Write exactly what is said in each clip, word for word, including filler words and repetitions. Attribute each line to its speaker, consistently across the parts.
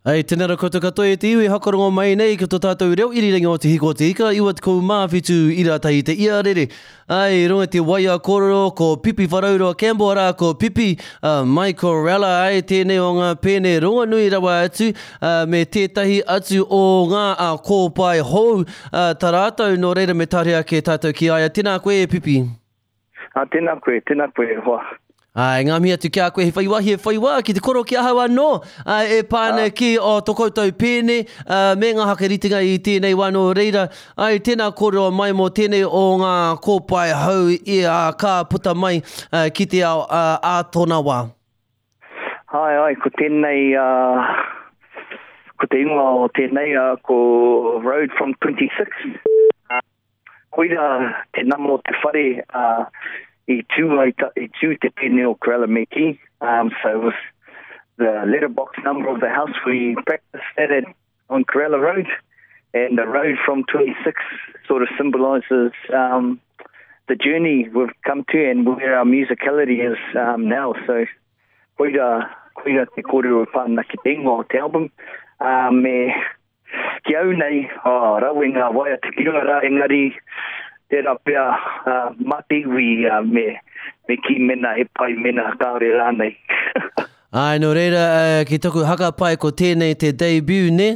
Speaker 1: Hei, tēnā rā koutou katoa e te iwi hakarongo mai nei ki tō tātou reo irirangi o Te Hiko o Te Ika, iwa tekau mā whitu ira tahi te iarere. Ai, i runga i te waia kōrero ko Pipi Wharauroa Campbell, arā ko Pipi uh, mai Corella, ai tēnei o ngā pēne rongonui rawa atu, uh, me tētahi atu o ngā uh, kōpae hou uh, tā rātou, nō reira me tare ake tātou ki a ia. Tēnā koe e Pipi.
Speaker 2: Ah, tēnā koe, tēnā koe e hoa.
Speaker 1: Ai, ngā mihi atu ki a koe, he whai wāhi, he whai wā ki te koro ki ahau anō, ai, e pā ana ki o tō koutou pēne, uh, me ngā hakaritenga i tēnei wā nō reira. Ai, tēnā kōrero mai mō tēnei o ngā kōpae hou i a ka puta mai uh, ki te ao uh, ā tōna wā.
Speaker 2: Ai, ai, ko tēnei, uh, ko te ingoa o tēnei, uh, ko Road from twenty-six. Uh, koira te nama o te whare, uh, i tū, ai ta, i tū te pēne o Corella me kī. Um, so it was the letterbox number of the house we practiced at, at on Corella Road. And the road from twenty-six sort of symbolises um, the journey we've come to and where our musicality is, um, now. So koira, koira te kōrero e pā ana ki te ingoa o te album. Um, me ki au nei, oh, rawe ngā waiata ki runga rā, engari tērā pea, uh, mā te iwi, uh, me, me ki mena he pai mena kāore rānei.
Speaker 1: Ai, nō reira, uh, ki taku hakapai ko tēnei te debut, ne?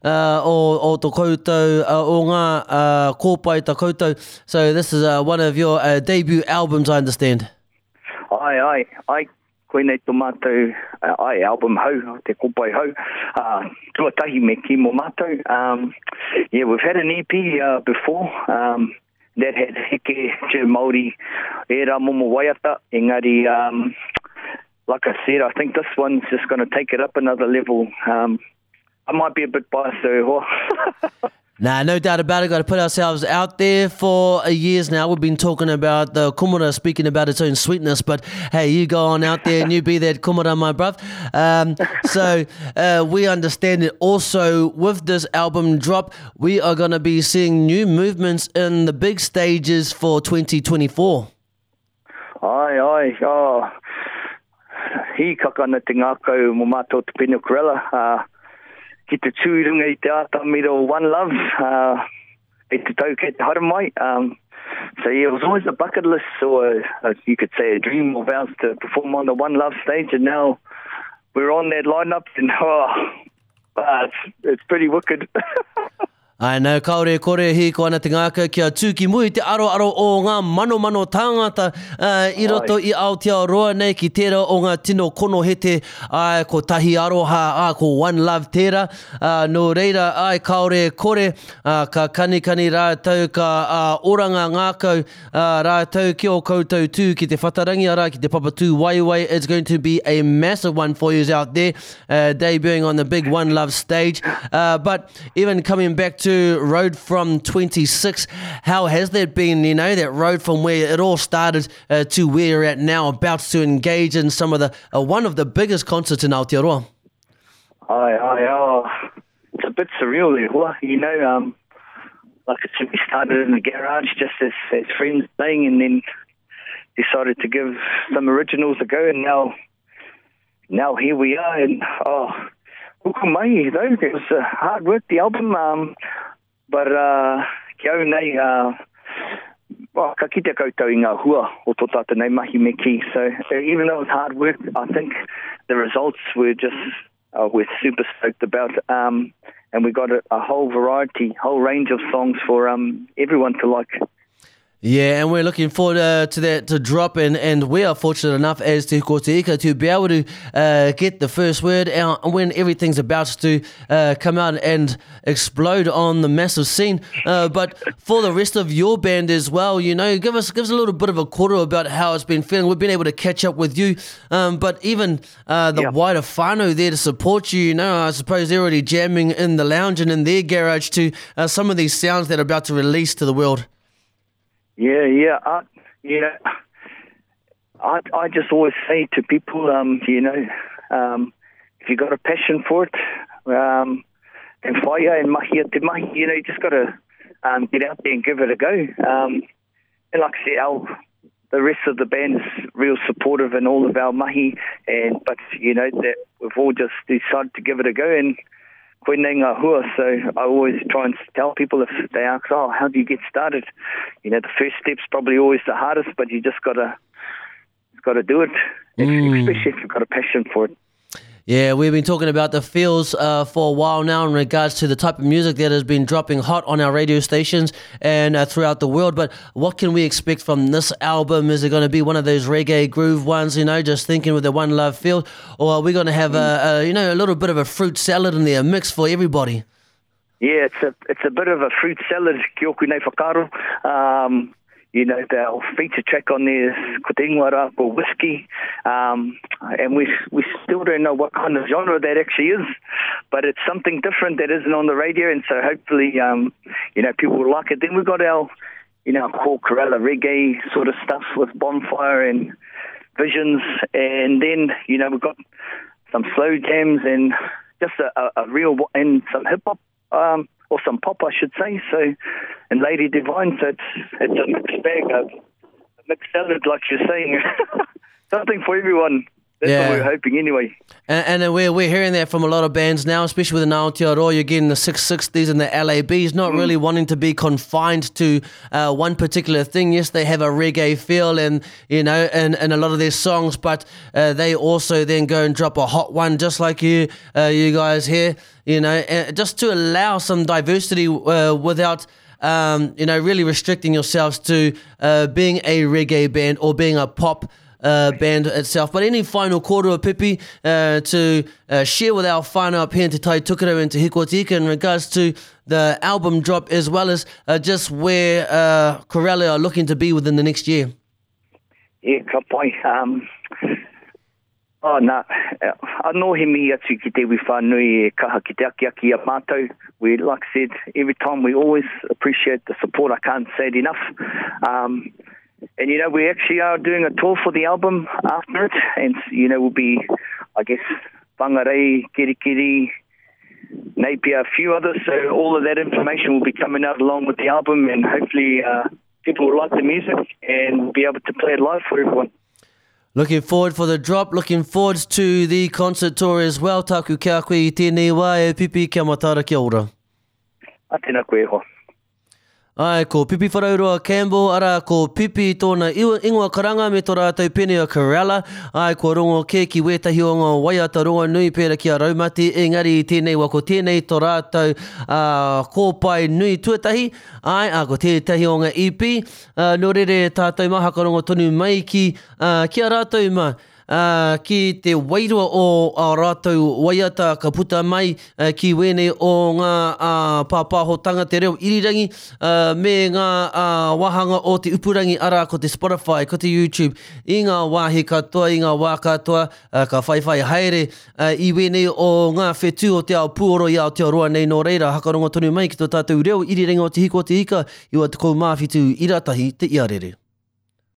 Speaker 1: Uh, o, o tō koutou, uh, o ngā, uh, kōpae tā koutou. So this is, uh, one of your, uh, debut albums, I understand.
Speaker 2: Ai, ai, ai, koinei tō mātou, uh, ai, album hou, te kōpae hou. Uh, tuatahi me ki mō mātou. Um, yeah, we've had an E P, uh, before, um, that had heke, te Māori, ērā momo waiata, engari, um, like I said, I think this one's just gonna take it up another level. Um, I might be a bit biased though.
Speaker 1: Nah, no doubt about it. Gotta put ourselves out there for years now. We've been talking about the kumara speaking about its own sweetness, but hey, you go on out there and you be that kumara, my bruv. Um, so, uh, we understand it. Also, with this album drop, we are gonna be seeing new movements in the big stages for twenty twenty-four.
Speaker 2: Aye, aye. Oh, hīkaka ana te ngākau mō mātou te pēne o Corella. Uh, ki te tū i runga i te ātamira o One Love, uh, i te tau kei te haramai. Um, so yeah, it was always a bucket list, or a, a, you could say a dream of ours to perform on the One Love stage, and now we're on that lineup, and oh, uh, it's, it's pretty wicked.
Speaker 1: Ai, nau, kāore kore hīko ana te ngākau kia tū ki mui te aroaro o ngā manomano tāngata, uh, i roto i Aotearoa nei ki tērā o ngā tino konohete, ai, ko tahi aroha, ai, ko One Love tērā. Uh, nō reira, ai, kāore kore, uh, ka kanikani rātou, ka, uh, oranga ngākau, uh, rātou ki o koutou tū ki te whatarangi, arā, ki te papatū waiwai. It's going to be a massive one for you out there, uh, debuting on the big One Love stage. Uh, but even coming back to Road from twenty-six, how has that been, you know, that road from where it all started, uh, to where you're at now, about to engage in some of the, uh, one of the biggest concerts in Aotearoa?
Speaker 2: Aye, aye, oh, it's a bit surreal there, hoa. You know, um, like I said, we started in the garage just as, as friends playing, and then decided to give some originals a go, and now, now here we are, and oh, uku mai, though, it was, uh, hard work, the album, um, but, uh, ki au nei, uh, well, ka kite koutou i ngā hua o tō tātou nei mahi me ki. So even though it was hard work, I think the results were just, uh, we're super stoked about, um, and we got a, a whole variety, whole range of songs for, um, everyone to like.
Speaker 1: Yeah, and we're looking forward, uh, to that to drop, and, and we are fortunate enough as Te Hiko Te Ika to be able to, uh, get the first word out when everything's about to, uh, come out and explode on the massive scene. Uh, but for the rest of your band as well, you know, give us, give us a little bit of a quarter about how it's been feeling. We've been able to catch up with you, um, but even, uh, the
Speaker 2: Yeah.
Speaker 1: wider whānau there to support you, you know, I suppose they're already jamming in the lounge and in their garage to, uh, some of these sounds that are about to release to the world.
Speaker 2: Yeah, yeah, uh, yeah. I, I just always say to people, um, you know, um, if you got a passion for it, um, and whaia and mahi a te mahi, you know, you just gotta, um, get out there and give it a go. Um, and like I said, our, the rest of the band is real supportive in all of our mahi, and but you know that we've all just decided to give it a go, and koinei ngā hua. So I always try and tell people if they ask, oh, how do you get started? You know, the first step's probably always the hardest, but you just gotta gotta do it, mm. especially if you've got a passion for it.
Speaker 1: Yeah, we've been talking about the feels uh, for a while now in regards to the type of music that has been dropping hot on our radio stations and uh, throughout the world. But what can we expect from this album? Is it going to be one of those reggae groove ones, you know, just thinking with the One Love feel? Or are we going to have, a, a, you know, a little bit of a fruit salad in there, a mix for everybody?
Speaker 2: Yeah, it's a, it's a bit of a fruit salad, ki oku nei whakaaro. Um, you know, the feature track on there is ko te ingoa rā ko Whiskey, um, and we we still don't know what kind of genre that actually is, but it's something different that isn't on the radio, and so hopefully, um, you know, people will like it. Then we've got our, you know, core Corella reggae sort of stuff with Bonfire and Visions, and then, you know, we've got some slow jams and just a, a, a real, and some hip-hop, um, or some pop, I should say, so, and Lady Divine, so it's, it's a mixed bag, a, a mixed salad, like you're saying. Something for everyone. That's
Speaker 1: Yeah.
Speaker 2: what we're hoping anyway.
Speaker 1: And, and we're, we're hearing that from a lot of bands now, especially with the Aotearoa, you're getting the six sixties and the L A Bs, not
Speaker 2: mm.
Speaker 1: really wanting to be confined to uh, one particular thing. Yes, they have a reggae feel and, you know, and, and a lot of their songs, but uh, they also then go and drop a hot one, just like you, uh, you guys here, you know, just to allow some diversity uh, without... Um, you know, really restricting yourselves to uh, being a reggae band or being a pop uh, band itself. But any final kōrero, Pipi, uh, to uh, share with our whānau up here in Te Tai Tokerau and Te Hiku o Te Ika in regards to the album drop, as well as uh, just where uh, Corella are looking to be within the next year?
Speaker 2: Yeah, ka pai. Um, oh, nā, anō he mihi atu ki te iwi whānui e kaha ki te akiaki a mātou. We, like I said, every time we always appreciate the support. I can't say it enough. Um, and, you know, we actually are doing a tour for the album after it. And, you know, we'll be, I guess, Whangarei, Kerikeri, Napier, a few others. So all of that information will be coming out along with the album, and hopefully uh, people will like the music and be able to play it live for everyone.
Speaker 1: Looking forward for the drop, looking forward to the concert tour as well. Tāku kia koe i tēnei wā, e Pipi, kia matara, kia ora.
Speaker 2: A tēnā koe e hoa.
Speaker 1: Ai, ko Pipi Wharauroa Campbell, ara ko Pipi tōna ingoa karanga me tō rātou pene o Corella. Ai, ko rongo kē ki wētahi o ngā waiata rongo nui pērā ki a Raumati, engari i tēnei wā ko tēnei tō rātou uh, kōpae nui tuatahi. Ai, a ko tētahi o ngā E P. Uh, nō rere tātou mā hakarongo tonu mai ki, uh, ki a rātou mā. Uh, ki te wairua o a rātou waiata ka puta mai uh, ki wēnei o ngā uh, pāpāhotanga te reo irirangi uh, me ngā uh, wāhanga o te upurangi, arā ko te Spotify, ko te YouTube, i ngā wāhi katoa, i ngā wā katoa, uh, ka whaiwhai haere uh, i wēnei o ngā whetū o te ao pūoro i Aotearoa nei. Nō reira, hakarongo tonu mai ki tō tātou reo irirangi o Te Hiku o Te Ika, iwa tekau mā whitu ira tahi te iarere.